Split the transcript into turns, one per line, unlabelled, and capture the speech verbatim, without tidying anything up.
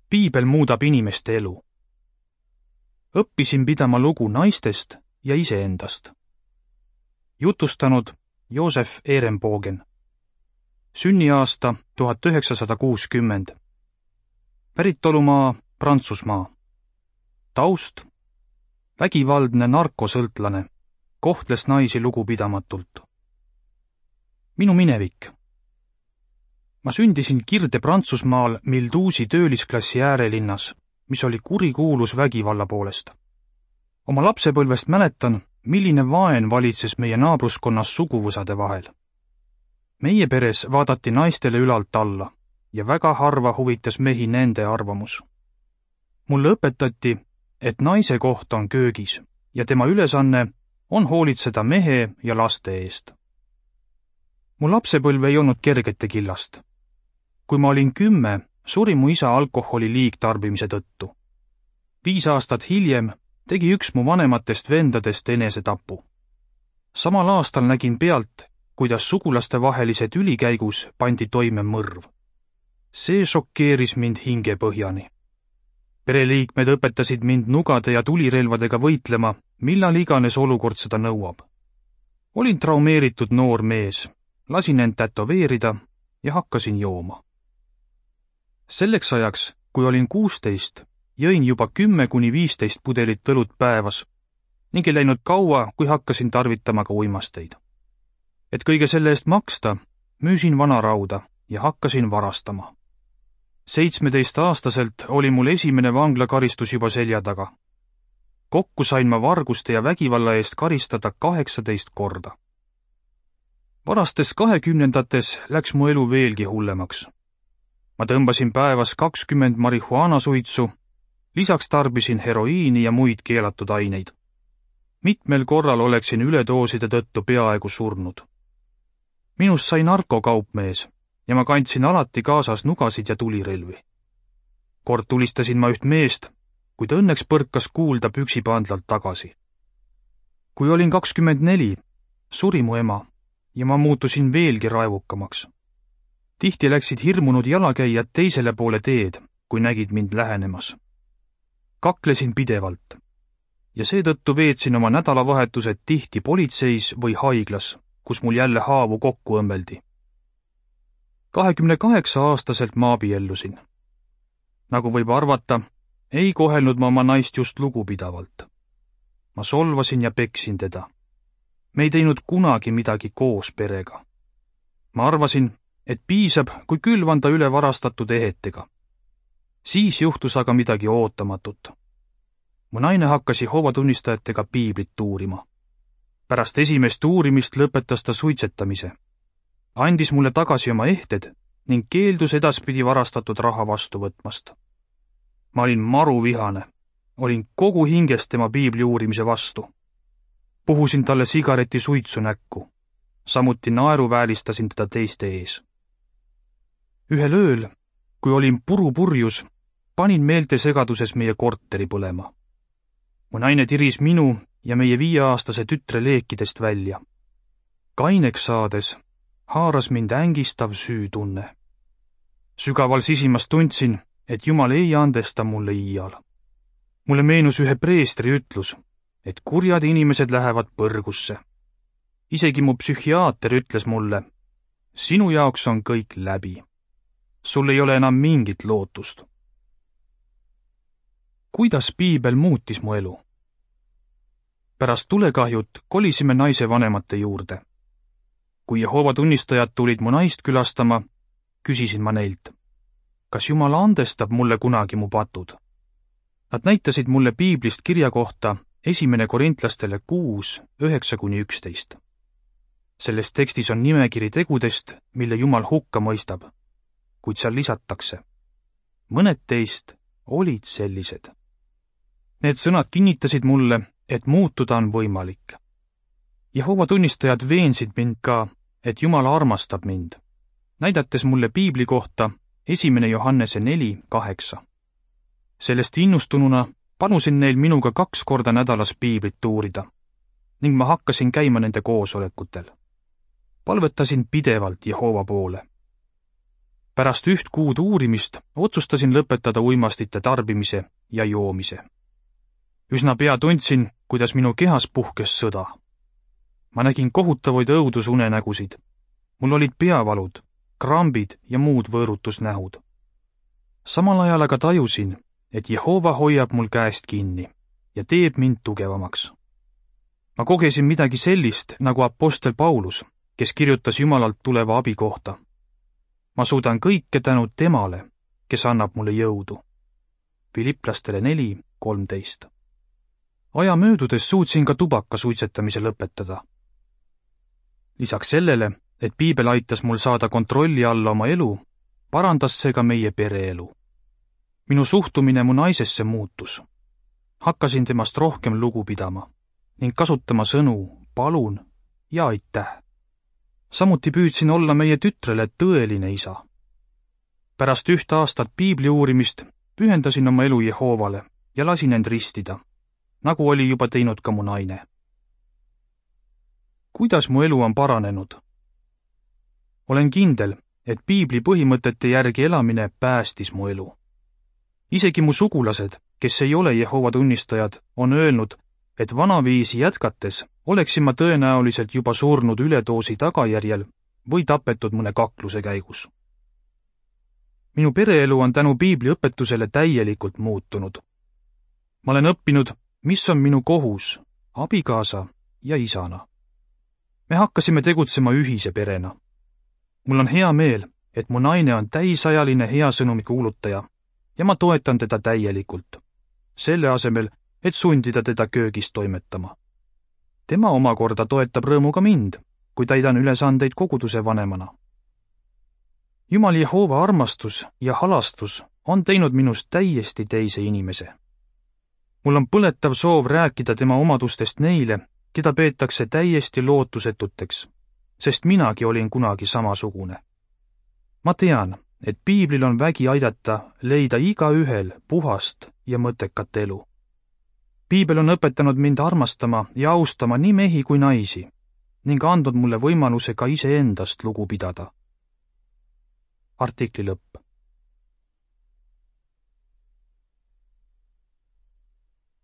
Piibel muudab inimeste elu. Õppisin pidama lugu naistest ja iseendast. Jutustanud Joosef Ehrenbogen. Sünniaasta tuhat üheksasada kuuskümmend. Päritolumaa Prantsusmaa. Taust: vägivaldne narkosõltlane, kohtles naisi lugupidamatult. Minu minevik. Ma sündisin Kirde Prantsusmaal Milduusi töölisklassi äärelinnas, mis oli kurikuulus vägivalla poolest. Oma lapsepõlvest mäletan, milline vaen valitses meie naabruskonnas suguvõsade vahel. Meie peres vaadati naistele ülalt alla ja väga harva huvitas mehi nende arvamus. Mulle õpetati, et naise koht on köögis ja tema ülesanne on hoolitseda mehe ja laste eest. Mu lapsepõlv ei olnud kergete killast. Kui ma olin kümme, suri mu isa alkoholi liigtarbimise tõttu. Viis aastat hiljem tegi üks mu vanematest vendadest enesetapu. Samal aastal nägin pealt, kuidas sugulaste vahelise tüli käigus pandi toime mõrv. See šokeeris mind hingepõhjani. Pereliikmed õpetasid mind nugade ja tulirelvadega võitlema, millal iganes olukord seda nõuab. Olin traumeeritud noor mees, lasin end tätoveerida ja hakkasin jooma. Selleks ajaks, kui olin kuusteist, jõin juba kümme kuni viisteist pudelit õlut päevas ning ei läinud kaua, kui hakkasin tarvitama ka uimasteid. Et kõige selle eest maksta, müüsin vanarauda ja hakkasin varastama. seitsmeteistaastaselt oli mul esimene vanglakaristus juba selja taga. Kokku sain ma varguste ja vägivalla eest karistada kaheksateist korda. Varastes kahekümnendates läks mu elu veelgi hullemaks. Ma tõmbasin päevas kakskümmend marihuaanasuitsu, lisaks tarbisin heroiini ja muid keelatud aineid. Mitmel korral oleksin üledooside tõttu peaaegu surnud. Minust sai narkokaupmees ja ma kandsin alati kaasas nugasid ja tulirelvi. Kord tulistasin ma üht meest, kuid õnneks põrkas kuulda püksipandlalt tagasi. Kui olin kakskümmend neli, suri mu ema ja ma muutusin veelgi raevukamaks. Tihti läksid hirmunud jalakäijad teisele poole teed, kui nägid mind lähenemas. Kaklesin pidevalt ja seetõttu veetsin oma nädalavahetused tihti politseis või haiglas, kus mul jälle haavu kokku õmbeldi. kahekümne kaheksa aastaselt ma abiellusin. Nagu võib arvata, ei kohelnud ma oma naist just lugupidavalt. Ma solvasin ja peksin teda. Me ei teinud kunagi midagi koos perega. Ma arvasin, et piisab, kui külvanda üle varastatud ehetega. Siis juhtus aga midagi ootamatut. Mu naine hakkas Jehoova tunnistajatega piiblit uurima. Pärast esimest uurimist lõpetas ta suitsetamise. Andis mulle tagasi oma ehted ning keeldus edaspidi varastatud raha vastu võtmast. Ma olin maruvihane. Olin kogu hingest tema piibli uurimise vastu. Puhusin talle sigareti suitsu näkku. Samuti naeruväälistasin teda teiste ees. Ühel ööl, kui olin purupurjus, panin meeltesegaduses meie korteri põlema. Mu naine tiris minu ja meie viieaastase tütre leekidest välja. Kaineks saades haaras mind ängistav süütunne. Sügaval sisimas tundsin, et Jumal ei andesta mulle iial. Mulle meenus ühe preestri ütlus, et kurjad inimesed lähevad põrgusse. Isegi mu psühhiaater ütles mulle, sinu jaoks on kõik läbi. Sul ei ole enam mingit lootust. Kuidas piibel muutis mu elu? Pärast tulekahjut kolisime naise vanemate juurde. Kui Jehoova tunnistajad tulid mu naist külastama, küsisin ma neilt, kas Jumal andestab mulle kunagi mu patud? Nad näitasid mulle piiblist kirja kohta esimene korintlastele kuus, üheksa kuni üksteist. Selles tekstis on nimekiri tegudest, mille Jumal hukka mõistab, kuid seal lisatakse. Mõned teist olid sellised. Need sõnad kinnitasid mulle, et muutuda on võimalik. Jehoova tunnistajad veensid mind ka, et Jumal armastab mind, näidates mulle piibli kohta esimene Johannese neli, kaheksa. Sellest innustununa palusin neil minuga kaks korda nädalas piiblit uurida ning ma hakkasin käima nende koosolekutel. Palvetasin pidevalt Jehoova poole. Pärast üht kuud uurimist otsustasin lõpetada uimastite tarbimise ja joomise. Üsna pea tundsin, kuidas minu kehas puhkes sõda. Ma nägin kohutavaid õudusunenägusid. Mul olid peavalud, krambid ja muud võõrutusnähud. Samal ajal aga tajusin, et Jehova hoiab mul käest kinni ja teeb mind tugevamaks. Ma kogesin midagi sellist nagu apostel Paulus, kes kirjutas Jumalalt tuleva abi kohta. Ma suudan kõike tänu temale, kes annab mulle jõudu. Filiplastele neli kolmteist. Aja möödudes suutsin ka tubaka suitsetamise lõpetada. Lisaks sellele, et piibel aitas mul saada kontrolli alla oma elu, parandas see ka meie pereelu. Minu suhtumine mu naisesse muutus. Hakkasin temast rohkem lugu pidama ning kasutama sõnu palun ja aitäh. Samuti püüdsin olla meie tütrele tõeline isa. Pärast üht aastat piibli uurimist pühendasin oma elu Jehovale ja lasin end ristida, nagu oli juba teinud ka mu naine. Kuidas mu elu on paranenud? Olen kindel, et piibli põhimõtete järgi elamine päästis mu elu. Isegi mu sugulased, kes ei ole Jehova tunnistajad, on öelnud, et vanaviisi jätkates oleksin ma tõenäoliselt juba surnud üledoosi tagajärjel või tapetud mõne kakluse käigus. Minu pereelu on tänu piibli õpetusele täielikult muutunud. Ma olen õppinud, mis on minu kohus abikaasa ja isana. Me hakkasime tegutsema ühise perena. Mul on hea meel, et mu naine on täisajaline hea sõnumi kuulutaja ja ma toetan teda täielikult, selle asemel, et sundida teda köögis toimetama. Tema omakorda toetab rõõmuga mind, kui täidan ülesandeid koguduse vanemana. Jumal Jehova armastus ja halastus on teinud minust täiesti teise inimese. Mul on põletav soov rääkida tema omadustest neile, keda peetakse täiesti lootusetuteks, sest minagi olin kunagi samasugune. Ma tean, et piiblil on vägi aidata leida igaühel puhast ja mõttekat elu. Piibel on õpetanud mind armastama ja austama nii mehi kui naisi ning andnud mulle võimaluse ka iseendast lugu pidada. Artikli lõpp.